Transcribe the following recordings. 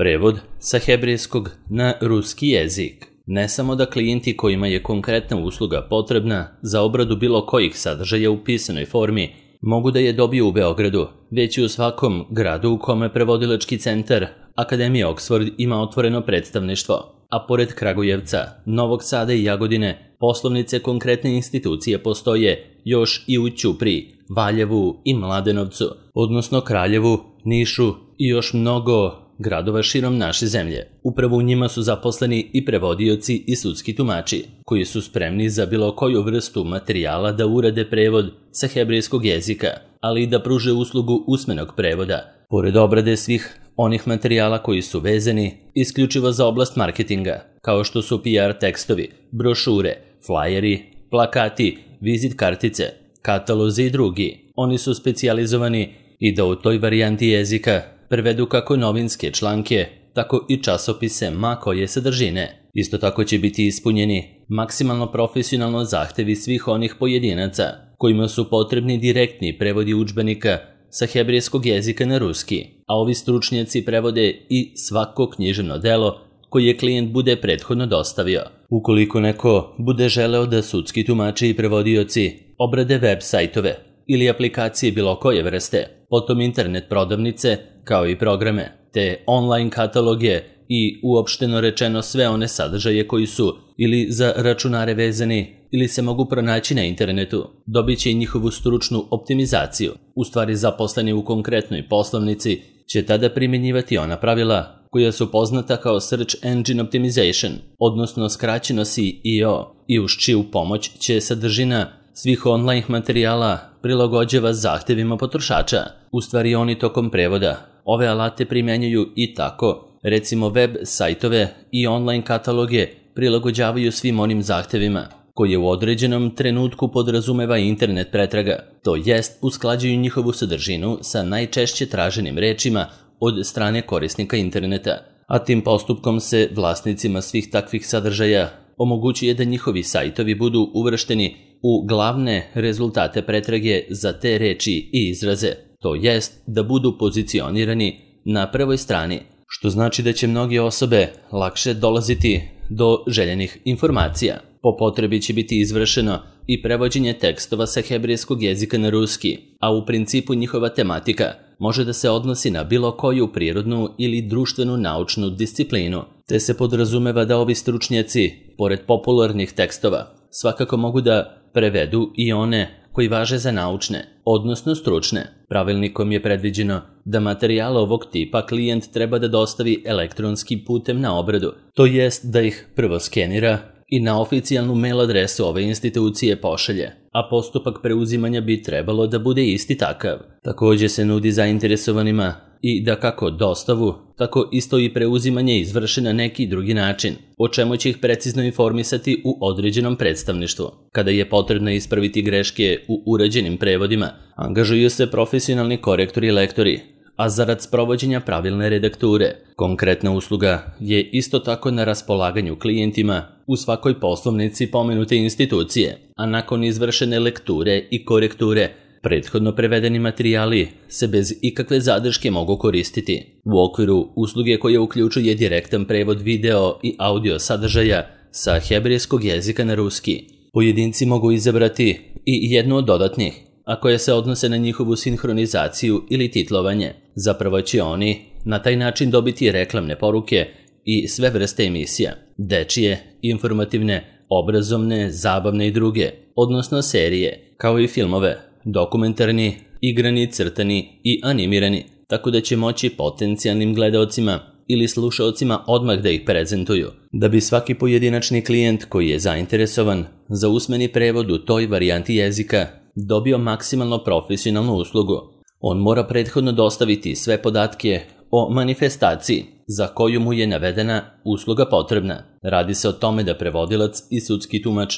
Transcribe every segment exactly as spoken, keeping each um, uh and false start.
Prevod sa hebrejskog na ruski jezik. Ne samo da klijenti kojima je konkretna usluga potrebna za obradu bilo kojih sadržaja u pisanoj formi mogu da je dobiju u Beogradu, već i u svakom gradu u kome prevodilački centar Akademija Oxford ima otvoreno predstavništvo, a pored Kragujevca, Novog Sada i Jagodine, poslovnice konkretne institucije postoje još i u Ćupriji, Valjevu i Mladenovcu, odnosno Kraljevu, Nišu i još mnogo gradova širom naše zemlje. Upravo u njima su zaposleni i prevodioci i sudski tumači, koji su spremni za bilo koju vrstu materijala da urade prevod sa hebrejskog jezika, ali i da pruže uslugu usmenog prevoda, pored obrade svih onih materijala koji su vezani isključivo za oblast marketinga, kao što su P R tekstovi, brošure, flajeri, plakati, vizit kartice, katalozi i drugi. Oni su specijalizovani i da u toj varijanti jezika prevedu kako novinske članke, tako i časopise ma koje sadržine. Isto tako će biti ispunjeni maksimalno profesionalno zahtevi svih onih pojedinaca kojima su potrebni direktni prevodi udžbenika sa hebrejskog jezika na ruski, a ovi stručnjaci prevode i svako književno delo koje klijent bude prethodno dostavio. Ukoliko neko bude želeo da sudski tumači i prevodioci obrade web sajtove ili aplikacije bilo koje vrste, potom internet prodavnice, kao i programe, te online kataloge i uopšteno rečeno sve one sadržaje koji su ili za računare vezani ili se mogu pronaći na internetu, dobit će i njihovu stručnu optimizaciju. U stvari zaposleni u konkretnoj poslovnici će tada primjenjivati ona pravila koja su poznata kao Search Engine Optimization, odnosno skraćeno S E O, i uz čiju pomoć će sadržina svih online materijala prilagođava zahtevima potrošača. U stvari oni tokom prevoda ove alate primjenjuju i tako, recimo web sajtove i online kataloge prilagođavaju svim onim zahtevima koje u određenom trenutku podrazumeva internet pretraga, to jest usklađuju njihovu sadržinu sa najčešće traženim rečima od strane korisnika interneta, a tim postupkom se vlasnicima svih takvih sadržaja omogućuje da njihovi sajtovi budu uvršteni u glavne rezultate pretrage za te reči i izraze, to jest da budu pozicionirani na prvoj strani, što znači da će mnoge osobe lakše dolaziti do željenih informacija. Po potrebi će biti izvršeno i prevođenje tekstova sa hebrejskog jezika na ruski, a u principu njihova tematika može da se odnosi na bilo koju prirodnu ili društvenu naučnu disciplinu, te se podrazumeva da ovi stručnjaci, pored popularnih tekstova, svakako mogu da prevedu i one koji važe za naučne, odnosno stručne. Pravilnikom je predviđeno da materijale ovog tipa klijent treba da dostavi elektronskim putem na obradu, to jest da ih prvo skenira i na oficijalnu mail adresu ove institucije pošalje, a postupak preuzimanja bi trebalo da bude isti takav. Također se nudi zainteresovanima i da kako dostavu, tako isto i preuzimanje izvrše na neki drugi način, o čemu će ih precizno informisati u određenom predstavništvu. Kada je potrebno ispraviti greške u urađenim prevodima, angažuju se profesionalni korektori i lektori, a zarad sprovođenja pravilne redakture. Konkretna usluga je isto tako na raspolaganju klijentima u svakoj poslovnici pomenute institucije, a nakon izvršene lekture i korekture, prethodno prevedeni materijali se bez ikakve zadrške mogu koristiti. U okviru usluge koja uključuje direktan prevod video i audio sadržaja sa hebrejskog jezika na ruski, pojedinci mogu izabrati i jednu od dodatnih, a koje se odnose na njihovu sinhronizaciju ili titlovanje. Zapravo će oni na taj način dobiti reklamne poruke i sve vrste emisija, dečije, informativne, obrazovne, zabavne i druge, odnosno serije, kao i filmove, dokumentarni, igrani, crtani i animirani, tako da će moći potencijalnim gledaocima ili slušaocima odmah da ih prezentuju. Da bi svaki pojedinačni klijent koji je zainteresovan za usmeni prevod u toj varijanti jezika dobio maksimalno profesionalnu uslugu, on mora prethodno dostaviti sve podatke o manifestaciji za koju mu je navedena usluga potrebna. Radi se o tome da prevodilac i sudski tumač,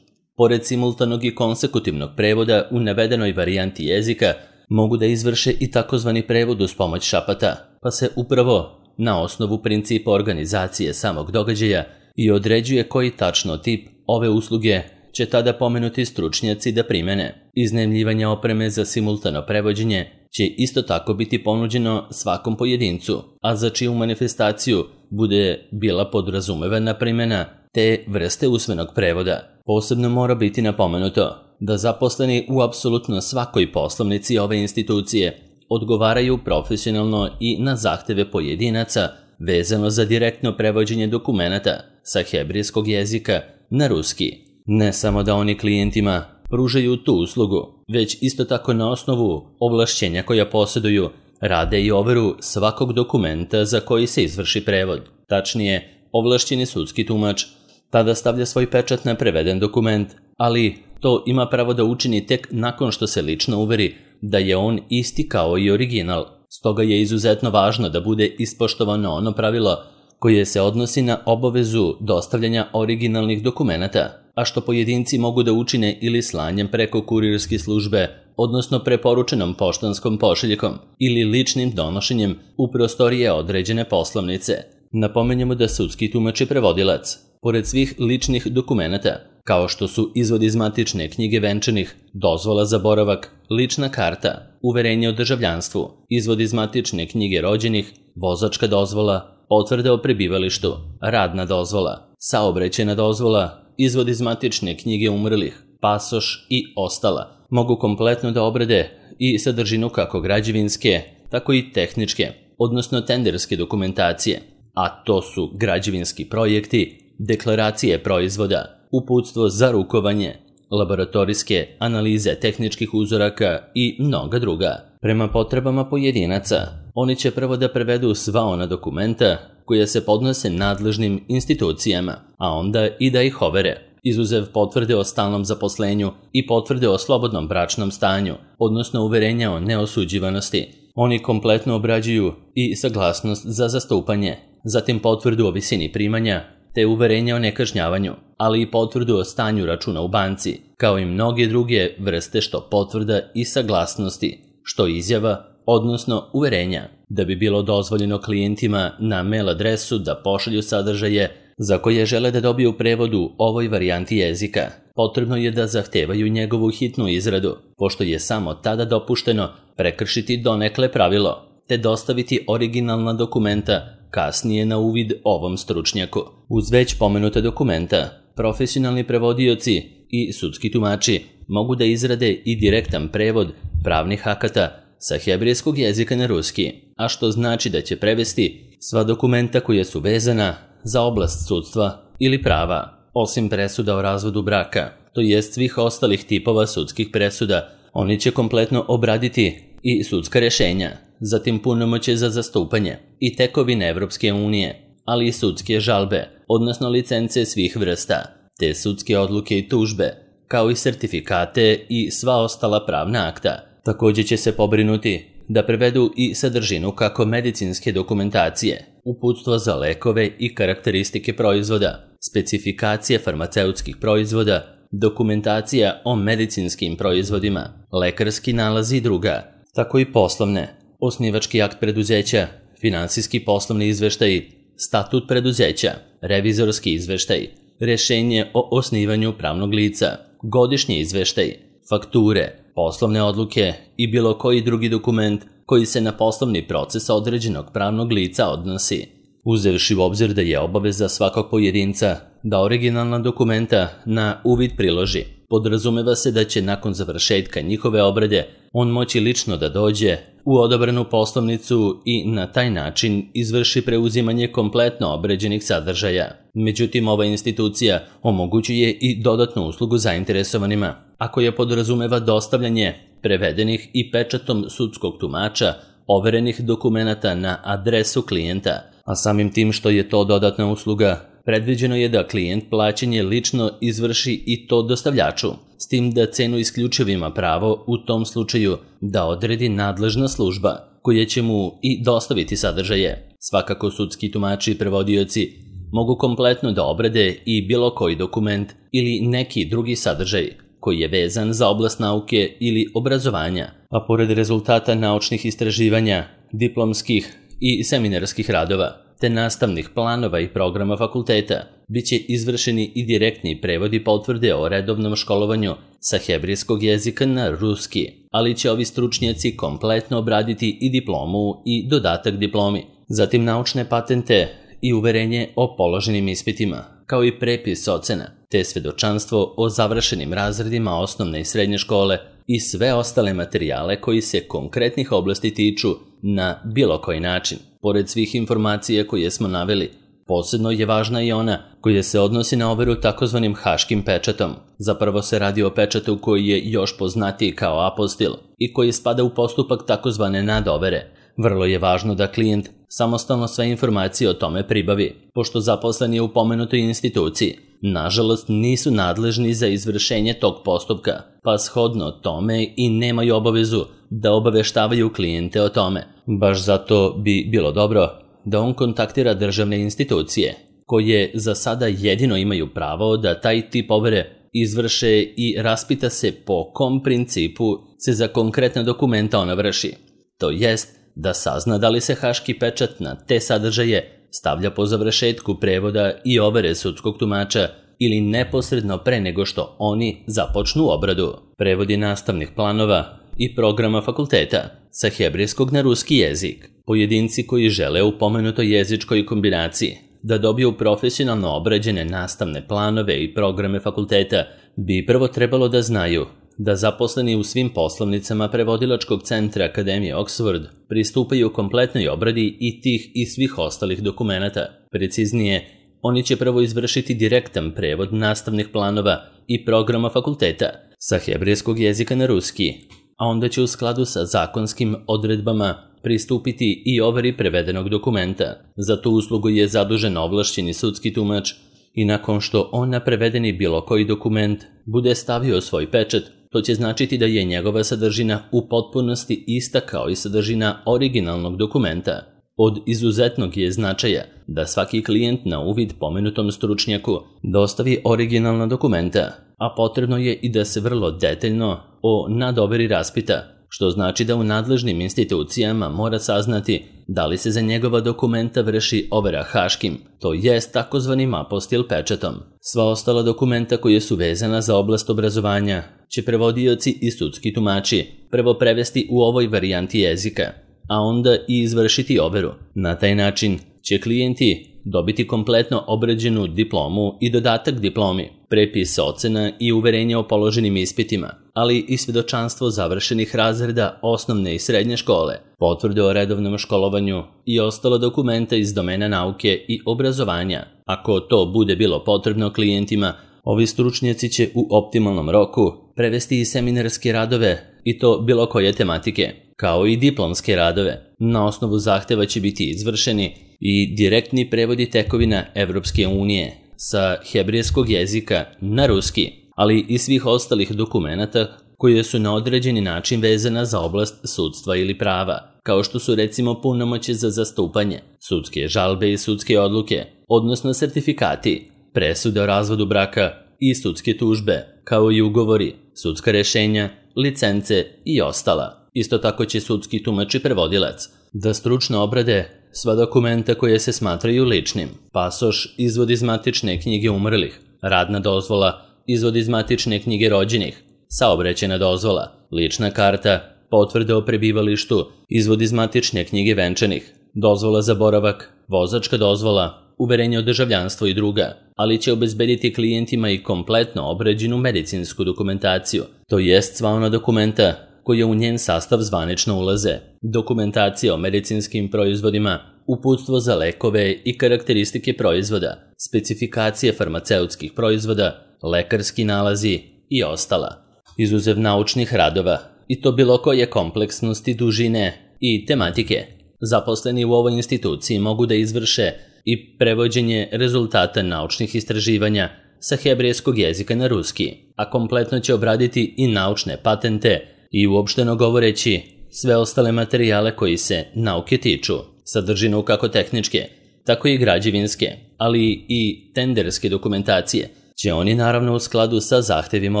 pored simultanog i konsekutivnog prevoda u navedenoj varijanti jezika, mogu da izvrše i takozvani prevod uz pomoć šapata, pa se upravo na osnovu principa organizacije samog događaja i određuje koji tačno tip ove usluge će tada pomenuti stručnjaci da primene. Iznajmljivanje opreme za simultano prevođenje će isto tako biti ponuđeno svakom pojedincu, a za čiju manifestaciju bude bila podrazumevana primjena te vrste usmenog prevoda. Posebno mora biti napomenuto da zaposleni u apsolutno svakoj poslovnici ove institucije odgovaraju profesionalno i na zahteve pojedinaca vezano za direktno prevođenje dokumenata sa hebrejskog jezika na ruski. Ne samo da oni klijentima pružaju tu uslugu, već isto tako na osnovu ovlašćenja koja posjeduju rade i overu svakog dokumenta za koji se izvrši prevod. Tačnije, ovlašćeni sudski tumač tada stavlja svoj pečat na preveden dokument, ali to ima pravo da učini tek nakon što se lično uveri da je on isti kao i original. Stoga je izuzetno važno da bude ispoštovano ono pravilo koje se odnosi na obavezu dostavljanja originalnih dokumenata, a što pojedinci mogu da učine ili slanjem preko kurirske službe, odnosno preporučenom poštanskom pošiljkom ili ličnim donošenjem u prostorije određene poslovnice. Napomenjemo da sudski tumač je prevodilac. Pored svih ličnih dokumenata, kao što su izvod iz matične knjige venčanih, dozvola za boravak, lična karta, uverenje o državljanstvu, izvod iz matične knjige rođenih, vozačka dozvola, potvrda o prebivalištu, radna dozvola, saobraćajna dozvola, izvod iz matične knjige umrlih, pasoš i ostala, mogu kompletno da obrade i sadržinu kako građevinske, tako i tehničke, odnosno tenderske dokumentacije, a to su građevinski projekti, deklaracije proizvoda, uputstvo za rukovanje, laboratorijske analize tehničkih uzoraka i mnoga druga. Prema potrebama pojedinaca, oni će prvo da prevedu sva ona dokumenta koja se podnose nadležnim institucijama, a onda i da ih overe, izuzev potvrde o stalnom zaposlenju i potvrde o slobodnom bračnom stanju, odnosno uverenja o neosuđivanosti. Oni kompletno obrađuju i saglasnost za zastupanje, zatim potvrdu o visini primanja, te uverenja o nekažnjavanju, ali i potvrdu o stanju računa u banci, kao i mnoge druge vrste što potvrda i saglasnosti, što izjava, odnosno uverenja, da bi bilo dozvoljeno klijentima na mail adresu da pošalju sadržaje za koje žele da dobiju prevod u ovoj varijanti jezika. Potrebno je da zahtevaju njegovu hitnu izradu, pošto je samo tada dopušteno prekršiti donekle pravilo, te dostaviti originalna dokumenta kasnije na uvid ovom stručnjaku. Uz već pomenuta dokumenta, profesionalni prevodioci i sudski tumači mogu da izrade i direktan prevod pravnih akata sa hebrejskog jezika na ruski, a što znači da će prevesti sva dokumenta koja su vezana za oblast sudstva ili prava, osim presuda o razvodu braka, to jest svih ostalih tipova sudskih presuda. Oni će kompletno obraditi i sudska rješenja, zatim punomoćje za zastupanje i tekovine Evropske unije, ali i sudske žalbe, odnosno licence svih vrsta, te sudske odluke i tužbe, kao i sertifikate i sva ostala pravna akta. Također će se pobrinuti da prevedu i sadržinu kako medicinske dokumentacije, uputstvo za lekove i karakteristike proizvoda, specifikacije farmaceutskih proizvoda, dokumentacija o medicinskim proizvodima, lekarski nalazi i druga, tako i poslovne, osnivački akt preduzeća, finansijski poslovni izveštaj, statut preduzeća, revizorski izveštaj, rješenje o osnivanju pravnog lica, godišnji izveštaj, fakture, poslovne odluke i bilo koji drugi dokument koji se na poslovni proces određenog pravnog lica odnosi. Uzevši u obzir da je obaveza svakog pojedinca da originalna dokumenta na uvid priloži, podrazumeva se da će nakon završetka njihove obrade on moći lično da dođe u odabranu poslovnicu i na taj način izvrši preuzimanje kompletno obrađenih sadržaja. Međutim, ova institucija omogućuje i dodatnu uslugu zainteresovanima, a koja podrazumeva dostavljanje prevedenih i pečatom sudskog tumača overenih dokumenata na adresu klijenta, a samim tim što je to dodatna usluga, predviđeno je da klijent plaćanje lično izvrši i to dostavljaču, s tim da cenu isključivo ima pravo u tom slučaju da odredi nadležna služba, koja će mu i dostaviti sadržaje. Svakako sudski tumači i prevodioci mogu kompletno da obrade i bilo koji dokument ili neki drugi sadržaj koji je vezan za oblast nauke ili obrazovanja, a pored rezultata naučnih istraživanja, diplomskih i seminarskih radova, te nastavnih planova i programa fakulteta, biće izvršeni i direktni prevodi potvrde o redovnom školovanju sa hebrejskog jezika na ruski, ali će ovi stručnjaci kompletno obraditi i diplomu i dodatak diplomi, zatim naučne patente i uverenje o položenim ispitima, kao i prepis ocena, te svedočanstvo o završenim razredima osnovne i srednje škole i sve ostale materijale koji se konkretnih oblasti tiču na bilo koji način. Pored svih informacija koje smo naveli, posebno je važna i ona koja se odnosi na overu takozvanim haškim pečatom. Zapravo se radi o pečatu koji je još poznatiji kao apostil i koji spada u postupak takozvane nadovere. Vrlo je važno da klijent samostalno sve informacije o tome pribavi, pošto zaposleni u pomenutoj instituciji nažalost nisu nadležni za izvršenje tog postupka, pa shodno tome i nemaju obavezu da obaveštavaju klijente o tome. Baš zato bi bilo dobro da on kontaktira državne institucije, koje za sada jedino imaju pravo da taj tip overe izvrše i raspita se po kom principu se za konkretna dokumenta ona vrši. To jest da sazna da li se haški pečat na te sadržaje stavlja po završetku prevoda i overe sudskog tumača ili neposredno pre nego što oni započnu obradu. Prevodi nastavnih planova i programa fakulteta sa hebrejskog na ruski jezik. Pojedinci koji žele u pomenutoj jezičkoj kombinaciji da dobiju profesionalno obrađene nastavne planove i programe fakulteta bi prvo trebalo da znaju da zaposleni u svim poslovnicama prevodilačkog centra Akademije Oxford pristupaju kompletnoj obradi i tih i svih ostalih dokumenata. Preciznije, oni će prvo izvršiti direktan prevod nastavnih planova i programa fakulteta sa hebrejskog jezika na ruski, a onda će u skladu sa zakonskim odredbama pristupiti i overi prevedenog dokumenta. Za tu uslugu je zadužen ovlašćeni sudski tumač i nakon što on na prevedeni bilo koji dokument bude stavio svoj pečat, to će značiti da je njegova sadržina u potpunosti ista kao i sadržina originalnog dokumenta. Od izuzetnog je značaja da svaki klijent na uvid pomenutom stručnjaku dostavi originalna dokumenta, a potrebno je i da se vrlo detaljno o nadoveri raspita, što znači da u nadležnim institucijama mora saznati da li se za njegova dokumenta vrši overa haškim, to jest takozvanim apostil pečatom. Sva ostala dokumenta koje su vezana za oblast obrazovanja će prevodioci i sudski tumači prvo prevesti u ovoj varijanti jezika, a onda i izvršiti overu. Na taj način će klijenti dobiti kompletno obrađenu diplomu i dodatak diplomi, prepis ocena i uverenje o položenim ispitima, ali i svedočanstvo završenih razreda osnovne i srednje škole, potvrde o redovnom školovanju i ostalo dokumenta iz domena nauke i obrazovanja. Ako to bude bilo potrebno klijentima, ovi stručnjaci će u optimalnom roku prevesti i seminarske radove i to bilo koje tematike, kao i diplomske radove. Na osnovu zahteva će biti izvršeni i direktni prevodi tekovina Evropske unije sa hebrejskog jezika na ruski, ali i svih ostalih dokumenata koje su na određeni način vezana za oblast sudstva ili prava, kao što su recimo punomoći za zastupanje, sudske žalbe i sudske odluke, odnosno sertifikati, presude o razvodu braka i sudske tužbe, kao i ugovori, sudska rešenja, licence i ostala. Isto tako će sudski tumač i prevodilac da stručno obrade sva dokumenta koje se smatraju ličnim, pasoš, izvod iz matične knjige umrlih, radna dozvola, izvod iz matične knjige rođenih, saobraćajna dozvola, lična karta, potvrde o prebivalištu, izvod iz matične knjige venčanih, dozvola za boravak, vozačka dozvola, uverenje o državljanstvu i druga, ali će obezbediti klijentima i kompletno obrađenu medicinsku dokumentaciju, to jest sva ona dokumenta koje u njen sastav zvanično ulaze, dokumentacija o medicinskim proizvodima, uputstvo za lekove i karakteristike proizvoda, specifikacije farmaceutskih proizvoda, lekarski nalazi i ostala. Izuzev naučnih radova, i to bilo koje kompleksnosti, dužine i tematike, zaposleni u ovoj instituciji mogu da izvrše i prevođenje rezultata naučnih istraživanja sa hebrejskog jezika na ruski, a kompletno će obraditi i naučne patente i uopšteno govoreći sve ostale materijale koji se nauke tiču, sadržinu kako tehničke, tako i građevinske, ali i tenderske dokumentacije, će oni naravno u skladu sa zahtevima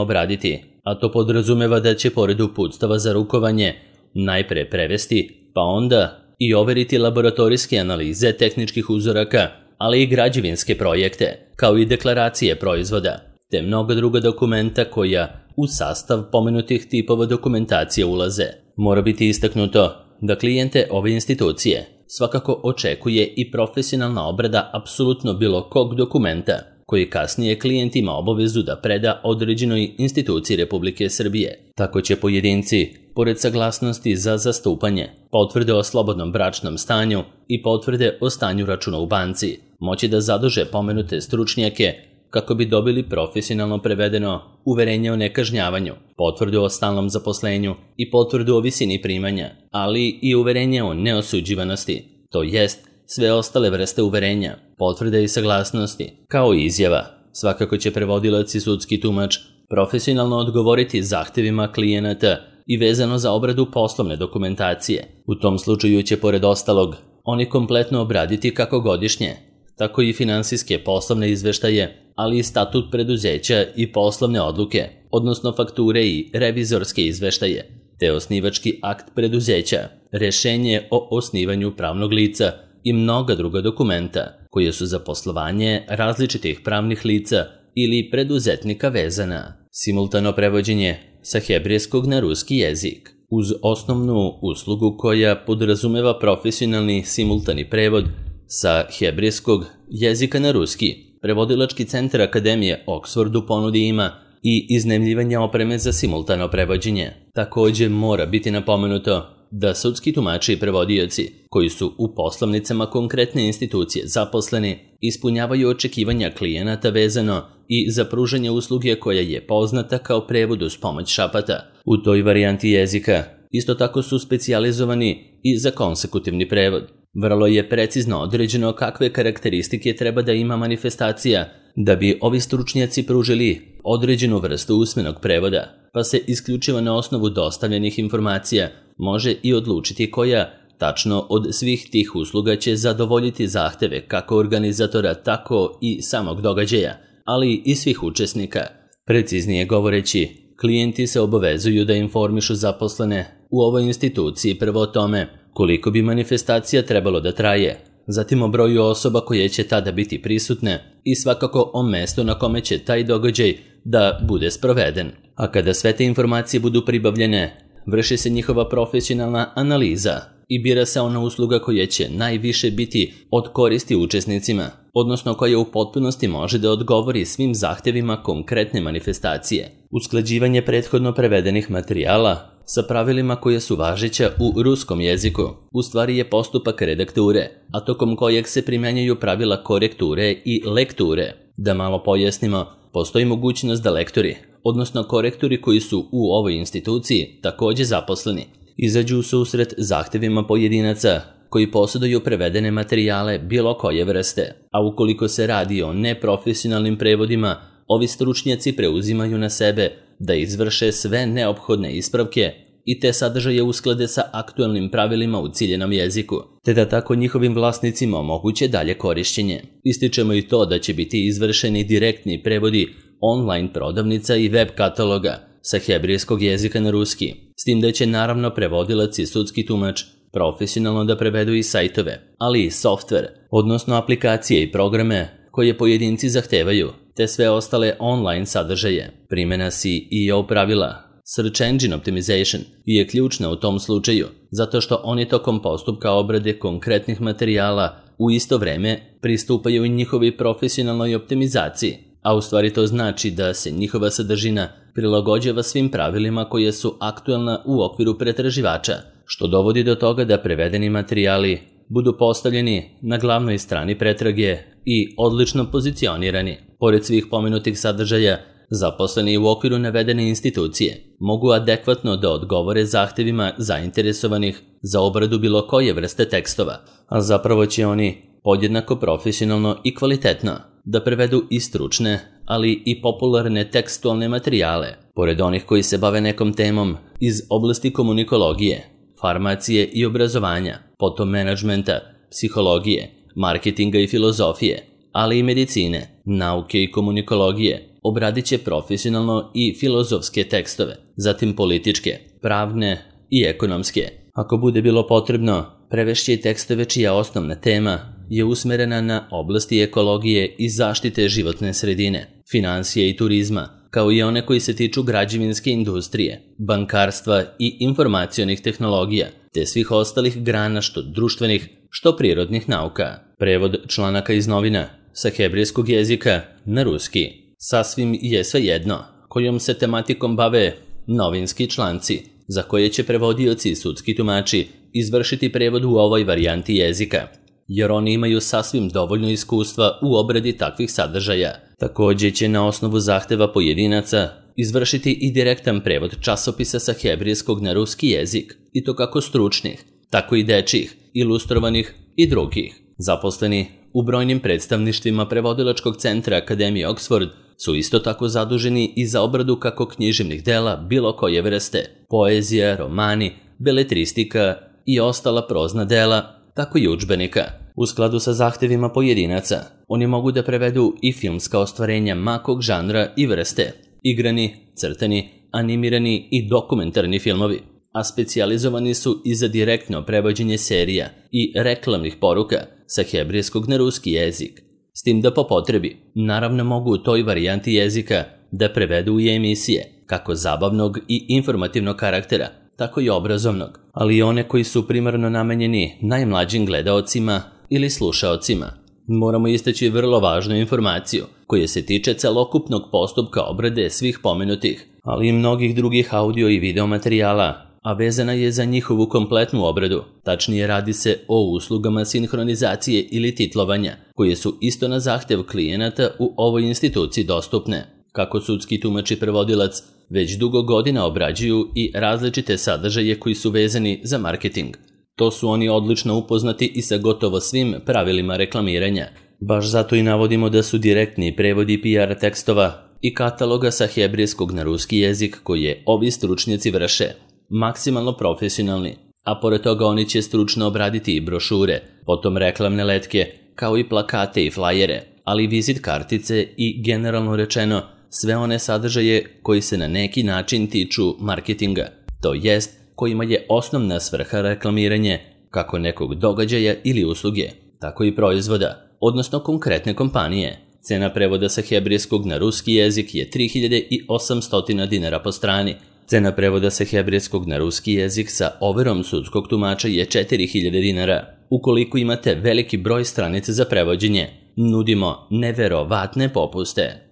obraditi, a to podrazumeva da će pored uputstava za rukovanje najpre prevesti, pa onda i overiti laboratorijske analize tehničkih uzoraka ali i građevinske projekte, kao i deklaracije proizvoda, te mnoga druga dokumenta koja u sastav pomenutih tipova dokumentacije ulaze. Mora biti istaknuto da klijente ove institucije svakako očekuje i profesionalna obrada apsolutno bilo kog dokumenta koji kasnije klijent ima obavezu da preda određenoj instituciji Republike Srbije. Tako će pojedinci, pored saglasnosti za zastupanje, potvrde o slobodnom bračnom stanju i potvrde o stanju računa u banci, moći da zaduže pomenute stručnjake kako bi dobili profesionalno prevedeno uverenje o nekažnjavanju, potvrdu o stalnom zaposlenju i potvrdu o visini primanja, ali i uverenje o neosuđivanosti, to jest sve ostale vrste uverenja, potvrde i saglasnosti, kao i izjava. Svakako će prevodilac i sudski tumač profesionalno odgovoriti zahtevima klijenata i vezano za obradu poslovne dokumentacije. U tom slučaju će, pored ostalog, oni kompletno obraditi kako godišnje, tako i finansijske poslovne izveštaje, ali i statut preduzeća i poslovne odluke, odnosno fakture i revizorske izveštaje, te osnivački akt preduzeća, rešenje o osnivanju pravnog lica i mnoga druga dokumenta koje su za poslovanje različitih pravnih lica ili preduzetnika vezana. Simultano prevođenje sa hebrejskog na ruski jezik. Uz osnovnu uslugu koja podrazumeva profesionalni simultani prevod sa hebrejskog jezika na ruski, prevodilački centar Akademije Oxford u ponudi ima i iznajmljivanje opreme za simultano prevođenje. Također mora biti napomenuto da sudski tumači i prevodioci koji su u poslovnicama konkretne institucije zaposleni ispunjavaju očekivanja klijenata vezano i za pružanje usluge koja je poznata kao prevod uz pomoć šapata. U toj varijanti jezika isto tako su specijalizovani i za konsekutivni prevod. Vrlo je precizno određeno kakve karakteristike treba da ima manifestacija da bi ovi stručnjaci pružili određenu vrstu usmenog prevoda, pa se isključivo na osnovu dostavljenih informacija može i odlučiti koja tačno od svih tih usluga će zadovoljiti zahteve kako organizatora, tako i samog događaja, ali i svih učesnika. Preciznije govoreći, klijenti se obavezuju da informišu zaposlene u ovoj instituciji prvo o tome koliko bi manifestacija trebalo da traje, zatim o broju osoba koje će tada biti prisutne i svakako o mestu na kome će taj događaj da bude sproveden. A kada sve te informacije budu pribavljene, vrši se njihova profesionalna analiza i bira se ona usluga koja će najviše biti od koristi učesnicima, odnosno koja u potpunosti može da odgovori svim zahtevima konkretne manifestacije. Usklađivanje prethodno prevedenih materijala sa pravilima koje su važeća u ruskom jeziku u stvari je postupak redakture, a tokom kojeg se primjenjuju pravila korekture i lekture. Da malo pojasnimo, postoji mogućnost da lektori, odnosno korektori koji su u ovoj instituciji također zaposleni, izađu u susret zahtevima pojedinaca koji posjeduju prevedene materijale bilo koje vrste, a ukoliko se radi o neprofesionalnim prevodima, ovi stručnjaci preuzimaju na sebe da izvrše sve neophodne ispravke i te sadržaje usklade sa aktualnim pravilima u ciljenom jeziku, te da tako njihovim vlasnicima omoguće dalje korišćenje. Ističemo i to da će biti izvršeni direktni prevodi online prodavnica i web kataloga sa hebrejskog jezika na ruski, s tim da će naravno prevodilac i sudski tumač profesionalno da prevedu i sajtove, ali i softver, odnosno aplikacije i programe koje pojedinci zahtevaju, te sve ostale online sadržaje. Primjena S E O pravila, Search Engine Optimization, je ključna u tom slučaju, zato što oni tokom postupka obrade konkretnih materijala u isto vreme pristupaju i njihovi profesionalnoj optimizaciji, a u stvari to znači da se njihova sadržina prilagođava svim pravilima koje su aktualna u okviru pretraživača, što dovodi do toga da prevedeni materijali budu postavljeni na glavnoj strani pretrage i odlično pozicionirani. Pored svih pomenutih sadržaja, zaposleni u okviru navedene institucije mogu adekvatno da odgovore zahtevima zainteresovanih za obradu bilo koje vrste tekstova, a zapravo će oni podjednako profesionalno i kvalitetno da prevedu i stručne, ali i popularne tekstualne materijale, pored onih koji se bave nekom temom iz oblasti komunikologije, farmacije i obrazovanja, potom menadžmenta, psihologije, marketinga i filozofije, ali i medicine, nauke i komunikologije. Obradit će profesionalno i filozofske tekstove, zatim političke, pravne i ekonomske. Ako bude bilo potrebno, prevešće i tekstove čija osnovna tema je usmerena na oblasti ekologije i zaštite životne sredine, finansije i turizma, kao i one koji se tiču građevinske industrije, bankarstva i informacionih tehnologija, te svih ostalih grana što društvenih, što prirodnih nauka. Prevod članaka iz novina sa hebrejskog jezika na ruski. Sasvim je svejedno kojom se tematikom bave novinski članci, za koje će prevodioci i sudski tumači izvršiti prevod u ovoj varijanti jezika, jer oni imaju sasvim dovoljno iskustva u obradi takvih sadržaja. Također će na osnovu zahteva pojedinaca izvršiti i direktan prevod časopisa sa hebrejskog na ruski jezik, i to kako stručnih, tako i dečjih, ilustrovanih i drugih. Zaposleni u brojnim predstavništvima prevodilačkog centra Akademije Oxford su isto tako zaduženi i za obradu kako književnih dela bilo koje vrste, poezija, romani, beletristika i ostala prozna dela, tako i udžbenika. U skladu sa zahtevima pojedinaca, oni mogu da prevedu i filmska ostvarenja makog žanra i vrste, igrani, crtani, animirani i dokumentarni filmovi, a specijalizovani su i za direktno prevođenje serija i reklamnih poruka sa hebrejskog na ruski jezik. S tim da po potrebi, naravno mogu u toj varijanti jezika da prevedu i emisije, kako zabavnog i informativnog karaktera, tako i obrazovnog, ali i one koji su primarno namenjeni najmlađim gledaocima ili slušaocima. Moramo istaći vrlo važnu informaciju koja se tiče celokupnog postupka obrade svih pomenutih, ali i mnogih drugih audio i video materijala, a vezana je za njihovu kompletnu obradu. Tačnije radi se o uslugama sinhronizacije ili titlovanja, koje su isto na zahtev klijenata u ovoj instituciji dostupne. Kako sudski tumač i prevodilac već dugo godina obrađuju i različite sadržaje koji su vezani za marketing. To su oni odlično upoznati i sa gotovo svim pravilima reklamiranja. Baš zato i navodimo da su direktni prevodi P R tekstova i kataloga sa hebrejskog na ruski jezik koje ovi stručnjaci vrše maksimalno profesionalni, a pored toga oni će stručno obraditi i brošure, potom reklamne letke, kao i plakate i flajere, ali vizit kartice i generalno rečeno sve one sadržaje koji se na neki način tiču marketinga, to jest kojima je osnovna svrha reklamiranje kako nekog događaja ili usluge, tako i proizvoda, odnosno konkretne kompanije. Cena prevoda sa hebrejskog na ruski jezik je tri hiljade osamsto dinara po strani. Cena prevoda sa hebrejskog na ruski jezik sa overom sudskog tumača je četiri hiljade dinara. Ukoliko imate veliki broj stranica za prevođenje, nudimo neverovatne popuste.